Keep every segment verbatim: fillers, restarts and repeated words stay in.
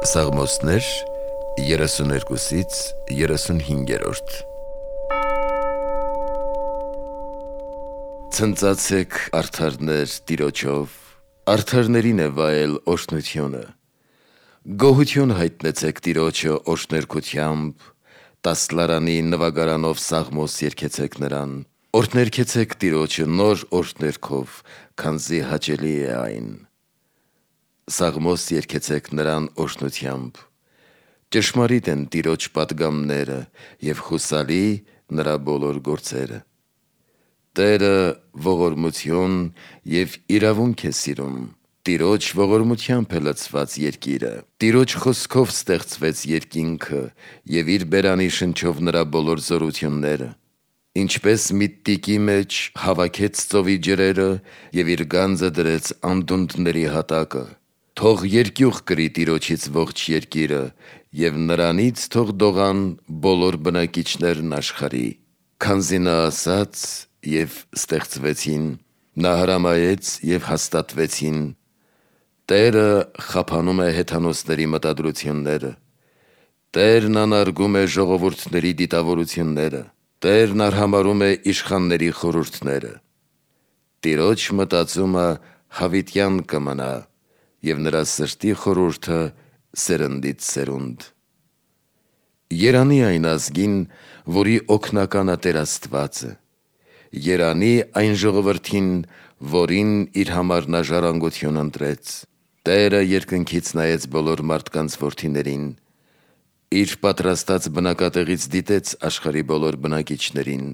Սաղմոսներ երեսուներկուսից երեսունհինգերորդ Ցնծացեք արդարներ Տիրոջով, արդարներին է վայել օրհնությունը, գոհություն հայտնեցեք Տիրոջը օրհներգությամբ, տասլարանի նվագարանով սաղմոս երգեցեք նրան, օրհներգեցեք Տիրոջը նոր օրհներգով, քանզի հաճելի է այն. Սաղմոս երգեցեք նրան օրհնությամբ, ճշմարիտ են Տիրոջ պատգամները և հուսալի նրա բոլոր գործերը։ Տերը ողորմություն և իրավունք է սիրում, Տիրոջ ողորմությամբ է լցված երկիրը, Տիրոջ խոսքով ստեղծվեց երկինքը և իր բերանի շնչով նրա բոլոր զորությունները, ինչպես մի տիկի մեջ հավաքեց ծովի ջրերը և իր գանձը դրեց անդունդների հատակը, թող երկյուղ կրի Տիրոջից ողջ երկիրը և նրանից թող դողան բոլոր բնակիչներն աշխարհի, քանզի նա ասաց և ստեղծվեցին, նա հրամայեց և հաստատվեցին, Տերը խափանում է հեթանոսների մտադրությունները, Տերն անարգում է ժողովուրդների դիտավորությունները, Տերն արհամարհում է իշխանների խորհուրդները, Տիրոջ մտածումը հավիտյան կմնա և նրա սրտի խորհուրդը սերնդից սերունդ։ Երանի այն ազգին, որի օգնականը Տեր Աստվածը, երանի այն ժողովրդին, որին իր համար նա ժառանգություն ընտրեց, Տերը երկնքից նայեց բոլոր մարդկանց որդիներին, իր պատրաստած բնակատեղից դիտեց աշխարհի բոլոր բնակիչներին,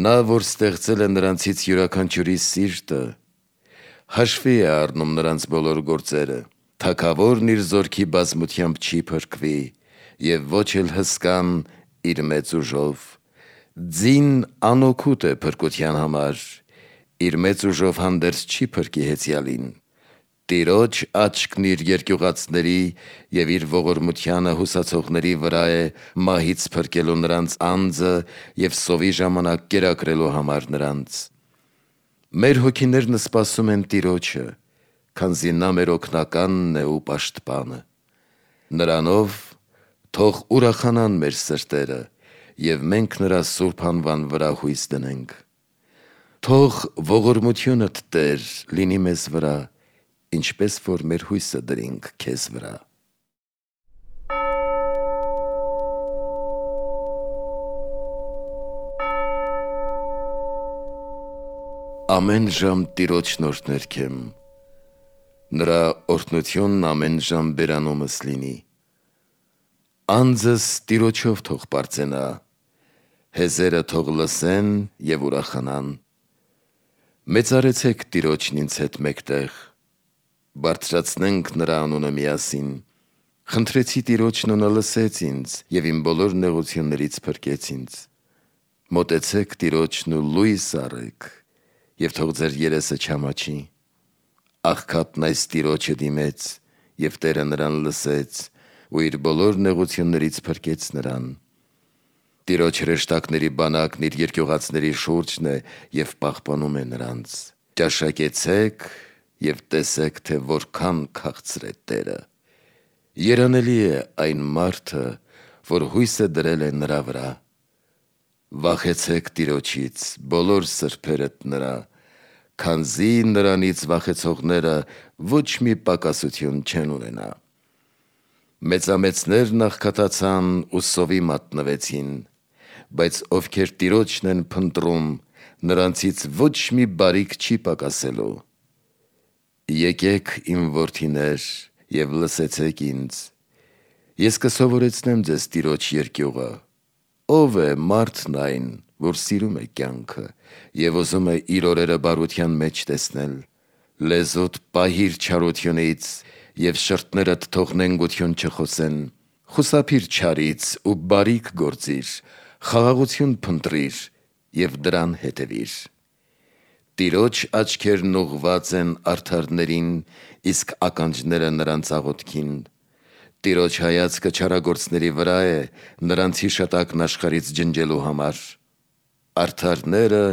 նա, որ ստեղծել է նրանցից յուրաքանչյուրի սիրտը, հաշվի է առնում նրանց բոլոր գործերը, թագավորն իր զորքի բազմությամբ չի փրկվի և ոչ էլ հսկան իր մեծ ուժով, ձին անօգուտ է փրկության համար, իր մեծ ուժով հանդերձ չի փրկի հեծյալին, Տիրոջ աչքն իր երկյուղածների և իր ողորմությանը հուսացողների վրա է մահից փրկելու նրանց անձը և սովի ժամանակ կերակրելու համար նրանց։ Մեր հոգիներն սպասում են Տիրոջը, քանզի նա մեր օգնականն է ու պաշտպանը, նրանով թող ուրախանան մեր սրտերը և մենք նրա սուրբ անվան վրա հույս դնենք։ Թող ողորմությունդ Տեր լինի մեզ վրա, ինչպես որ մեր հույսը դրինք քեզ վրա։ Ամեն ժամ Տիրոջն օրհներգեմ, նրա օրհնությունն ամեն ժամ բերանումս լինի, անձս Տիրոջով թող պարծենա, հեզերը թող լսեն և ուրախանան, մեծարեցեք Տիրոջն ինձ հետ մեկտեղ, բարձրացնենք նրա անունը միասին, խնդրեցի Տիրոջն ու նա լսեց ինձ և իմ բոլոր նեղություններից փրկեց ինձ, մոտեցեք Տիրոջն ու լույս առեք և թող ձեր երեսը չամաչի, աղքատն այս Տիրոջը դիմեց և Տերը նրան լսեց ու իր բոլոր նեղություններից փրկեց նրան, Տիրոջ հրեշտակների բանակն իր երկյուղածների շուրջն է և պահպանում է նրանց, ճաշակեցեք և տեսեք, թե որքան քաղցր է Տերը, երանելի է այն մարդը, որ հույսը դրել է նրա վրա, վախեցեք Տիրոջից բոլոր սրբերդ նրա, քանզի նրանից վախեցողները ոչ մի պակասություն չեն ունենա։ Մեծամեծներն աղքատացան ու սովի մատնվեցին, բայց ովքեր Տիրոջն են փնտրում, նրանցից ոչ մի բարիք չի պակասելու։ Եկեք իմ որդիներ և լսեցեք ինձ, ես կսովորեցնեմ ձեզ Տիրոջ երկյուղը, ով է մարդն այն, որ սիրում է կյանքը և ուզում է իր օրերը բարության մեջ տեսնել, լեզուդ պահիր չարությունից և շրթներդ թող նենգություն չխոսեն, խուսափիր չարից ու բարիք գործիր, խաղաղություն փնտրիր և դրան հետևիր։ Տիրոջ աչքերն ուղղված են արդարներին, իսկ ականջները նրանց աղոթքին, Տիրոջ հայացքը չարագործների վրա է, նրանց հիշատակն աշխարհից ջնջելու համար, արդարները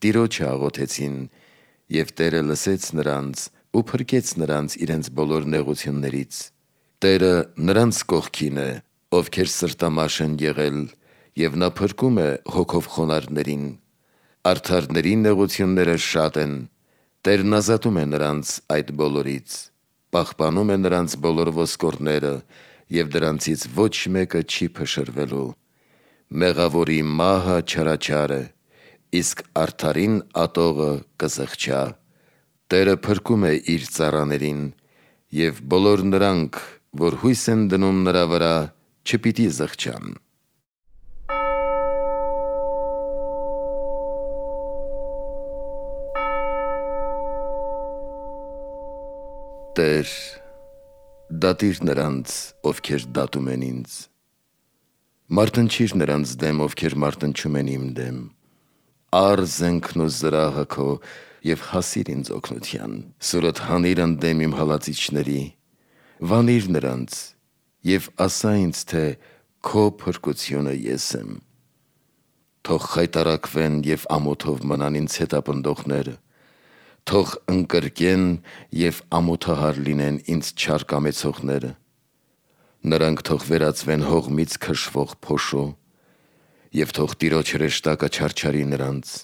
Տիրոջը աղոթեցին և Տերը լսեց նրանց ու փրկեց նրանց իրենց բոլոր նեղություններից, Տերը նրանց կողքին է, ովքեր սրտամաշ են եղել, և նա փրկում է հոգով խոնարհներին։ Արդարների նեղությունները շատ են, Տերն ազատում է նրանց այդ բոլորից, պահպանում է նրանց բոլոր ոսկորները, և դրանցից ոչ մեկը չի փշրվելու։ Մեղավորի մահը չարաչար է, իսկ արդարին ատողը կզղջա։ Տերը փրկում է իր ծառաներին, և բոլոր նրանք, որ հույս են դնում նրա վրա, չպիտի զղջան։ Տեր, դատիր նրանց, ովքեր դատում են ինձ, մարտնչիր նրանց դեմ, ովքեր մարտնչում են իմ դեմ։ Առ զենքն ու զրահը քո և հասիր ինձ օգնության, սուրդ հանիր ընդդեմ իմ հալածիչների։ Վանիր նրանց և ասա ինձ, թե քո փրկությունը ես եմ։ Թող խայտառակվեն և ամոթով մնան ինձ հետապնդողները, թող ընկրկեն և ամոթահար լինեն ինձ չար կամեցողները։ Նրանք թող վերածվեն հողմից քշվող փոշու, և թող Տիրոջ հրեշտակը չարչարի նրանց։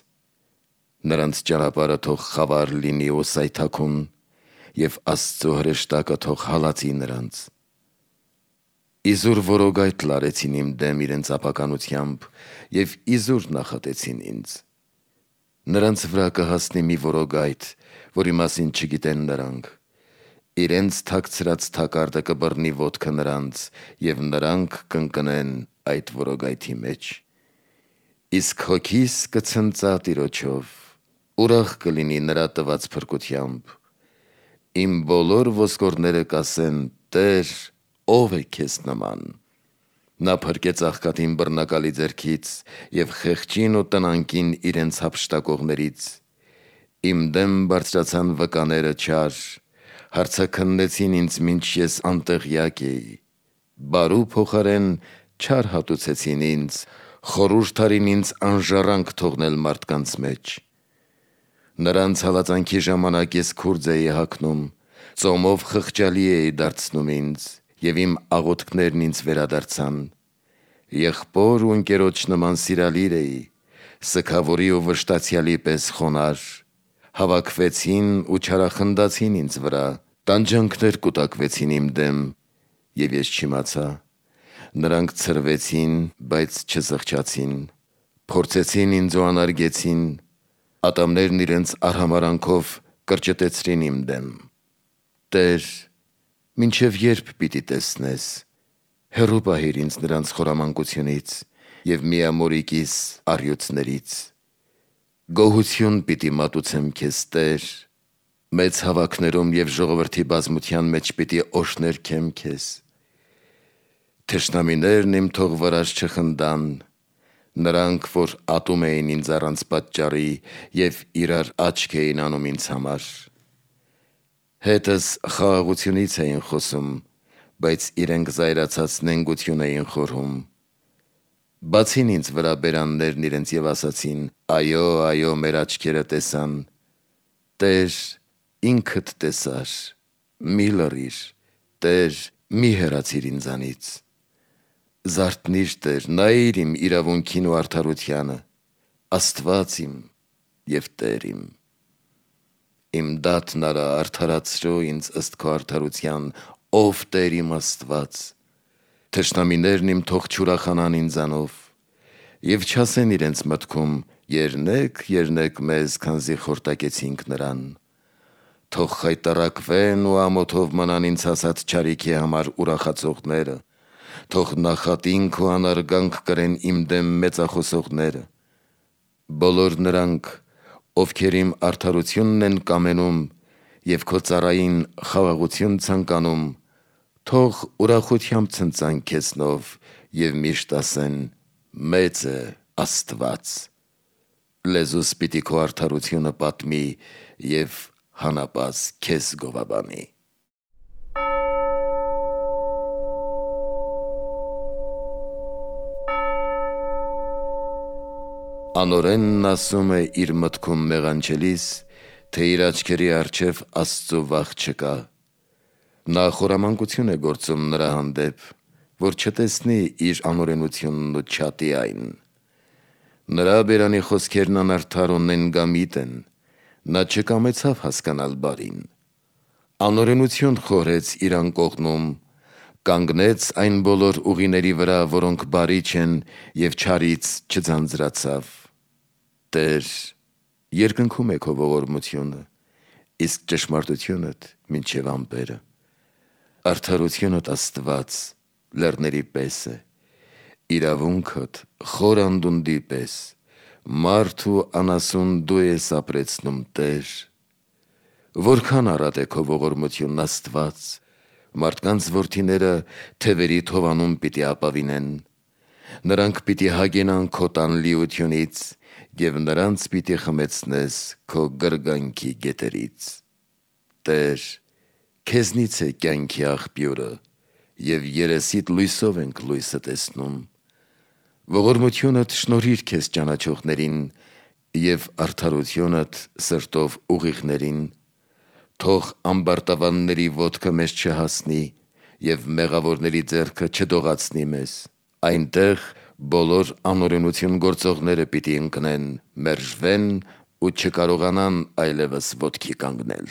Նրանց ճանապարհը թող խավար լինի ու սայթաքուն, և Աստծու հրեշտակը թող հալածի նրանց։ Իզուր որոգայթ լարեցին իմ դեմ իրենց ապականությամբ և իզուր նախատեցին ինձ։ Նրանց վրա կհասնի մի որոգայթ, որի մասին չգիտեն նրանք։ Իրենց թաքցրած թակարդը կբռնի ոտքը նրանց, և նրանք կընկնեն այդ որոգայթի մեջ։ Իսկ հոգիս կցնծա Տիրոջով, ուրախ կլինի նրա տված փրկությամբ։ Իմ բոլոր ոսկորները կասեն. «Տեր, ո՞վ է քեզ նման»։ Նա փրկեց աղքատին բռնակալի ձեռքից և խեղճին ու տնանկին իրենց հափշտակողներից։ Իմ դեմ բարձրացան վկաները չար, հարցաքննեցին ինձ, մինչ ես անտեղյակ էի։ Բարու փոխարեն չար հատուցեցին ինձ, խորհուրդ արին ինձ անժառանգ թողնել մարդկանց մեջ։ Նրանց հալածանքի ժամանակ ես քուրձ էի հագնում, ծոմով խղճալի էի դարձնում ինձ, և իմ աղոթքներն ինձ վերադարձան։ Եղբոր ու ընկերոջ նման սիրալիր էի, սգավորի ու վշտացյալի պես խոնարհ։ Հավաքվեցին ու չարախնդացին ինձ վրա, տանջանքներ կուտակվեցին իմ դեմ, և ես չիմացա։ Նրանք ցրվեցին, բայց չզղջացին, փորձեցին ինձ ու անարգեցին, ատամներն իրենց արհամարհանքով կրճտեցրին իմ դեմ։ Տեր, մինչև ե՞րբ պիտի տեսնես, հեռու պահիր ինձ նրանց խորամանկությունից և միամորիկիս առյուծներից։ Գոհություն պիտի մատուցեմ քեզ, Տեր, մեծ հավաքներում և ժողովրդի բազմության մեջ պիտի օրհներգեմ քեզ։ Թշնամիներն իմ թող վրաս չխնդան, նրանք, որ ատում էին ինձ առանց պատճառի և իրար աչք էին անում ինձ համար։ Հետս խաղաղությունից էին խոսում, բայց իրենք զայրացած նենգություն էին խորհում։ Բացին ինձ վրա բերաններն իրենց և ասացին. «Այո, այո, մեր աչքերը տեսան»։ Տեր, ինքդ տեսար, մի լռիր, Տեր, մի հեռացիր ինձանից։ Զարթնի՛ր, Տեր, նայիր իմ իրավունքին ու արդարությանը, Աստված իմ և Տեր իմ։ Իմ դատն արա, արդարացրո ինձ ըստ քո արդարության, ով Տեր իմ Աստված։ Թշնամիներն իմ թող չուրախանան ինձանով և չասեն իրենց մտքում. «Եռնե՛ք, եռնե՛ք մեզ, քանզի խորտակեցինք նրան»։ Թող խայտառակվեն ու ամոթով մնան ինձ հասած չարիքի համար ուրախացողները, թող նախատինք ու անարգանք կրեն իմ դեմ մեծախոսողները։ Բոլոր նրանք, ովքեր իմ արդարությունն են կամենում և քո ծառային խաղաղություն ցանկանում, թող ուրախությամբ ցնծան քեզնով և միշտ ասեն. «Մեծ է Աստված»։ Լեզուս պիտի քո արդարությունը պատմի և հանապազը քեզ գովաբանի։ Անօրենն ասում է իր մտքում մեղանչելիս, թե իր աչքերի առջև Աստծու վախ չկա։ Նա խորամանկություն է գործում նրա հանդեպ, որ չտեսնի իր անօրենությունն ու չատի այն։ Նրա բերանի խոսքերն անարդար ու նենգամիտ են, նա չկամեցավ հասկանալ բարին։ Անօրենություն խորեց իր անկողնում, կանգնեց այն բոլոր ուղիների վրա, որոնք բարի չեն, և չարից չձանձրացավ։ Տեր, երկնքում է քո ողորմությունը, իսկ ճշմարտությունդ մինչև ամպերը։ Արդարությունդ Աստված լեռների պես է, իրավունքդ խոր անդունդի պես, մարդ ու անասուն դու ես ապրեցնում, Տեր։ Որքան առատ է քո ողորմությունն, Աստված, մարդկանց որդիները թևերի թովանում պիտի ապավինեն։ Նրանք պիտի հագենան քո տան լիությունից, և նրանց պիտի խմեցնես քո գրգանքի գետերից։ Տեր, քեզնից է կյանքի աղբյուրը, և երեսիդ լույսով ենք լույսը տեսնում։ Ողորմությունդ շնորհիր քեզ ճանաչողներին և արդարությունդ սրտով ուղիղներին։ Թող ամբարտավանների ոտքը մեզ չհասնի և մեղավորների ձեռքը չդողացնի մեզ։ Այնտեղ բոլոր անօրենություն գործողները պիտի ընկնեն, մերժվեն ու չկարողանան այլևս ոտքի կանգնել։